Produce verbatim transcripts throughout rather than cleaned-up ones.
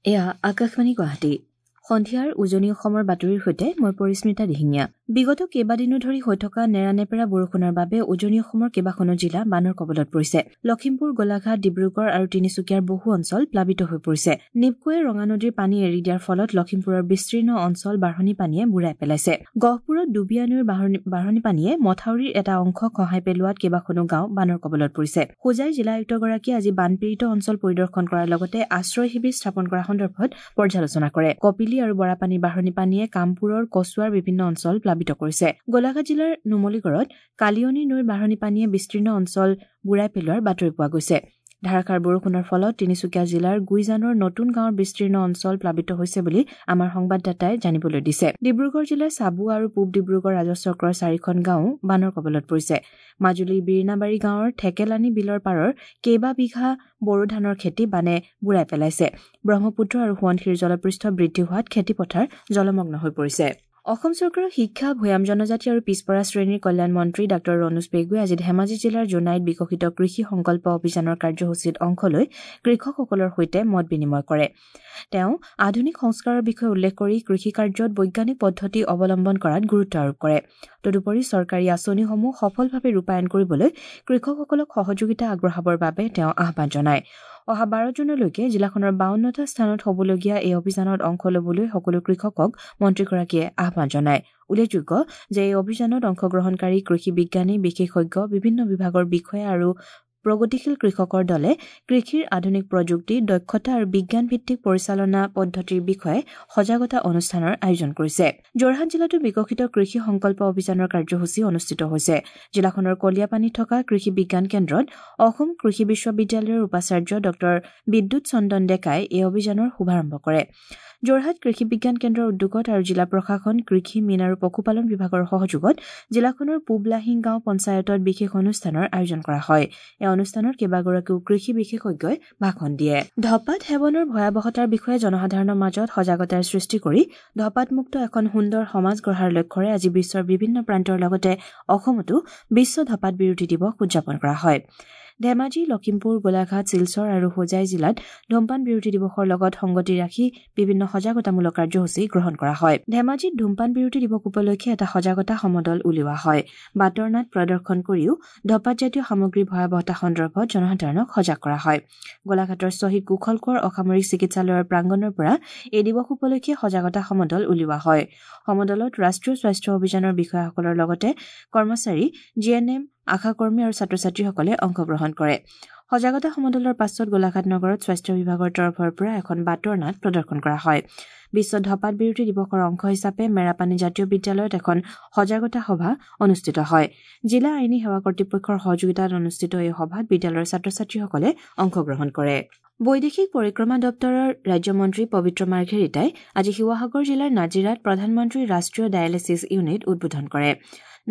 এয়া আকাশবাণী গুৱাহাটী। সন্ধিয়াৰ উজনি অসমৰ বাতৰিৰ সৈতে মই পৰিস্মিতা দিহিঙীয়া। বিগত কেইবাদিনো ধৰি হৈ থকা নেৰানেপেৰা বৰষুণৰ বাবে উজনি অসমৰ কেইবাখনো জিলা বানৰ কবলত পৰিছে। লখিমপুৰ, গোলাঘাট, ডিব্ৰুগড় আৰু তিনিচুকীয়াৰ বহু অঞ্চল প্লাবিত হৈ পৰিছে। নিপকোৱে ৰঙা নদীৰ পানী এৰি দিয়াৰ ফলত লখিমপুৰৰ বিস্তীৰ্ণ অঞ্চল বাঢ়নী পানীয়ে বুৰাই পেলাইছে। গহপুৰত ডুবিয়া নৈৰ বাঢ়নী পানীয়ে মথাউৰিৰ এটা অংশ খহাই পেলোৱাত কেইবাখনো গাঁও বানৰ কবলত পৰিছে। হোজাই জিলা আয়ুক্তগৰাকীয়ে আজি বানপীড়িত অঞ্চল পৰিদৰ্শন কৰাৰ লগতে আশ্ৰয় শিবিৰ স্থাপন কৰা সন্দৰ্ভত পৰ্যালোচনা কৰে। কপিলী আৰু বৰাপানীৰ বাঢ়নী পানীয়ে কামপুৰৰ কচুৱাৰ বিভিন্ন অঞ্চল প্লাবিত কৰিছে। গোলাঘাট জিলাৰ নুমলীগড়ত কালিয়নী নৈৰ বাঢ়নী পানীয়ে বিস্তীৰ্ণ অঞ্চল বুৰাই পেলোৱাৰ বাতৰি পোৱা গৈছে। ধাৰাসাৰ বৰষুণৰ ফলত তিনিচুকীয়া জিলাৰ গুইজানৰ নতুন গাঁৱৰ বিস্তীৰ্ণ অঞ্চল প্লাবিত হৈছে বুলি আমাৰ সংবাদদাতাই জানিবলৈ দিছে। ডিব্ৰুগড় জিলাৰ চাবুৱা আৰু পূব ডিব্ৰুগড় ৰাজহ চক্ৰৰ চাৰিখন গাঁও বানৰ কবলত পৰিছে। মাজুলীৰ বিৰিণাবাৰী গাঁৱৰ ঠেকেলানী বিলৰ পাৰৰ কেইবা বিঘা বড়ো ধানৰ খেতি বানে বুৰাই পেলাইছে। ব্ৰহ্মপুত্ৰ আৰু সোৱণশিৰিৰ জলপৃষ্ঠ বৃদ্ধি হোৱাত খেতিপথাৰ জলমগ্ন হৈ পৰিছে। অসম চৰকাৰৰ শিক্ষা, ভৈয়াম জনজাতি আৰু পিছপৰা শ্ৰেণীৰ কল্যাণ মন্ত্ৰী ডাঃ ৰণোজ পেগুৱে আজি ধেমাজি জিলাৰ জোনাইত বিকশিত কৃষি সংকল্প অভিযানৰ কাৰ্যসূচীত অংশ লৈ কৃষকসকলৰ সৈতে মত বিনিময় কৰে। তেওঁ আধুনিক সংস্কাৰৰ বিষয়ে উল্লেখ কৰি কৃষি কাৰ্যত বৈজ্ঞানিক পদ্ধতি অৱলম্বন কৰাত গুৰুত্ব আৰোপ কৰে। তদুপৰি চৰকাৰী আঁচনিসমূহ সফলভাৱে ৰূপায়ণ কৰিবলৈ কৃষকসকলক সহযোগিতা আগবঢ়াবৰ বাবে তেওঁ আহ্বান জনায়। অহা বাৰ জুনলৈকে জিলাখনৰ বাৱন্নটা স্থানত হ'বলগীয়া এই অভিযানত অংশ ল'বলৈ সকলো কৃষকক মন্ত্ৰীগৰাকীয়ে আহ্বান জনায়। উল্লেখযোগ্য যে এই অভিযানত অংশগ্ৰহণকাৰী কৃষি বিজ্ঞানী, বিশেষজ্ঞ, বিভিন্ন বিভাগৰ বিষয়া আৰু প্ৰগতিশীল কৃষকৰ দলে কৃষিৰ আধুনিক প্ৰযুক্তি, দক্ষতা আৰু বিজ্ঞানভিত্তিক পৰিচালনা পদ্ধতিৰ বিষয়ে সজাগতা অনুষ্ঠানৰ আয়োজন কৰিছে। যোৰহাট জিলাতো বিকশিত কৃষি সংকল্প অভিযানৰ কাৰ্যসূচী অনুষ্ঠিত হৈছে। জিলাখনৰ কলিয়াপানীত থকা কৃষি বিজ্ঞান কেন্দ্ৰত অসম কৃষি বিশ্ববিদ্যালয়ৰ উপাচাৰ্য ডঃ বিদ্যুৎ চন্দন ডেকাই এই অভিযানৰ শুভাৰম্ভ কৰে। যোৰহাট কৃষি বিজ্ঞান কেন্দ্ৰৰ উদ্যোগত আৰু জিলা প্ৰশাসন, কৃষি, মীন আৰু পশুপালন বিভাগৰ সহযোগত জিলাখনৰ পূব লাহিং গাঁও পঞ্চায়তত বিশেষ অনুষ্ঠানৰ আয়োজন কৰা হয়। এই অনুষ্ঠানত কেইবাগৰাকীও কৃষি বিশেষজ্ঞই ভাষণ দিয়ে। ধঁপাত সেৱনৰ ভয়াৱহতাৰ বিষয়ে জনসাধাৰণৰ মাজত সজাগতাৰ সৃষ্টি কৰি ধঁপাতমুক্ত এখন সুন্দৰ সমাজ গঢ়াৰ লক্ষ্যৰে আজি বিশ্বৰ বিভিন্ন প্ৰান্তৰ লগতে অসমতো বিশ্ব ধঁপাত বিৰোধী দিৱস উদযাপন কৰা হয়। ধেমাজি, লখিমপুৰ, গোলাঘাট, শিলচৰ আৰু হোজাই জিলাত ধূমপান বিৰোধী দিৱসৰ লগত সংগতি ৰাখি বিভিন্ন সজাগতামূলক কাৰ্যসূচী গ্ৰহণ কৰা হয়। ধেমাজিত ধূমপান বিৰোধী দিৱস উপলক্ষে এটা সজাগতা সমদল উলিওৱা হয়। বাটৰ নাট প্ৰদৰ্শন কৰিও ধঁপাতজাতীয় সামগ্ৰীৰ ভয়াৱহতা সন্দৰ্ভত জনসাধাৰণক সজাগ কৰা হয়। গোলাঘাটৰ শ্বহীদ কুশল কোঁৱৰ অসামৰিক চিকিৎসালয়ৰ প্ৰাংগণৰ পৰা এই দিৱস উপলক্ষে সজাগতা সমদল উলিওৱা হয়। সমদলত ৰাষ্ট্ৰীয় স্বাস্থ্য অভিযানৰ বিষয়াসকলৰ লগতে কৰ্মচাৰী, জি এন এম, আশাকৰ্মী আৰু ছাত্ৰ ছাত্ৰীসকলে অংশগ্ৰহণ কৰে। সজাগতা সমদলৰ পাছত গোলাঘাট নগৰত স্বাস্থ্য বিভাগৰ তৰফৰ পৰা এখন বাটৰ নাট প্ৰদৰ্শন কৰা হয়। বিশ্ব ধঁপাত বিৰোধী দিৱসৰ অংশ হিচাপে মেৰাপানী জাতীয় বিদ্যালয়ত এখন সজাগতা সভা অনুষ্ঠিত হয়। জিলা আইনী সেৱা কৰ্তৃপক্ষৰ সহযোগিতাত অনুষ্ঠিত এই সভাত বিদ্যালয়ৰ ছাত্ৰ ছাত্ৰীসকলে অংশগ্ৰহণ কৰে। বৈদেশিক পৰিক্ৰমা দপ্তৰৰ ৰাজ্যমন্ত্ৰী পবিত্ৰ মাৰ্ঘেৰিটাই আজি শিৱসাগৰ জিলাৰ নাজিৰাত প্ৰধানমন্ত্ৰীৰ ৰাষ্ট্ৰীয় ডায়েলিছিছ ইউনিট উদ্বোধন কৰে।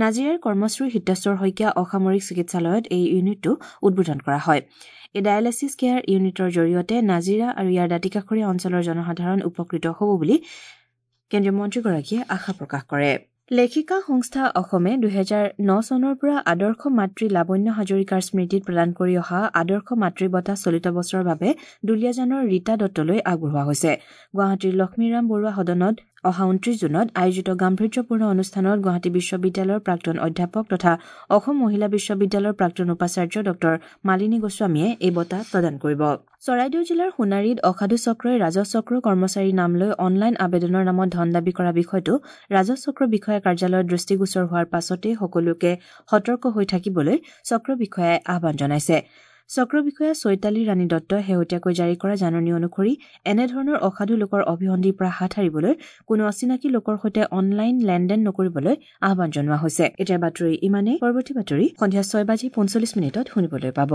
নাজিৰাৰ কৰ্মশ্ৰী হিতেশ্বৰ শইকীয়া অসামৰিক চিকিৎসালয়ত এই ইউনিটটো উদ্বোধন কৰা হয়। এই ডায়েলিছিছ কেয়াৰ ইউনিটৰ জৰিয়তে নাজিৰা আৰু ইয়াৰ দাঁতিকাষৰীয়া অঞ্চলৰ জনসাধাৰণ উপকৃত হ'ব বুলি কেন্দ্ৰীয় মন্ত্ৰীগৰাকীয়ে আশা প্ৰকাশ কৰে। লেখিকা সংস্থা অসমে দুহেজাৰ ন চনৰ পৰা আদৰ্শ মাতৃ লাৱণ্য হাজৰিকাৰ স্মৃতিত প্ৰদান কৰি অহা আদৰ্শ মাতৃ বঁটা চলিত বছৰৰ বাবে দুলীয়াজানৰ ৰীতা দত্তলৈ আগবঢ়োৱা হৈছে। গুৱাহাটীৰ লক্ষ্মীৰাম বৰুৱা সদনত অহা ঊনত্ৰিশ জুনত আয়োজিত গাম্ভীৰ্যপূৰ্ণ অনুষ্ঠানত গুৱাহাটী বিশ্ববিদ্যালয়ৰ প্ৰাক্তন অধ্যাপক তথা অসম মহিলা বিশ্ববিদ্যালয়ৰ প্ৰাক্তন উপাচাৰ্য ডঃ মালিনী গোস্বামীয়ে এই বঁটা প্ৰদান কৰিব। চৰাইদেউ জিলাৰ সোণাৰীত অসাধু চক্ৰই ৰাজহ চক্ৰ কৰ্মচাৰীৰ নাম লৈ অনলাইন আবেদনৰ নামত ধন দাবী কৰা বিষয়টো ৰাজহ চক্ৰ বিষয়া কাৰ্যালয়ত দৃষ্টিগোচৰ হোৱাৰ পাছতেই সকলোকে সতৰ্ক হৈ থাকিবলৈ চক্ৰ বিষয়াই আহ্বান জনাইছে। চক্ৰ বিষয়া চৈতালী ৰাণী দত্তই শেহতীয়াকৈ জাৰি কৰা জাননী অনুসৰি এনেধৰণৰ অসাধু লোকৰ অভিসন্ধিৰ পৰা হাত সাৰিবলৈ কোনো অচিনাকি লোকৰ সৈতে অনলাইন লেনদেন নকৰিবলৈ আহ্বান জনোৱা হৈছে। এতিয়া বাতৰি ইমানেই। পৰৱৰ্তী বাতৰি সন্ধিয়া ছয় বাজি পঞ্চল্লিছ মিনিটত শুনিবলৈ পাব।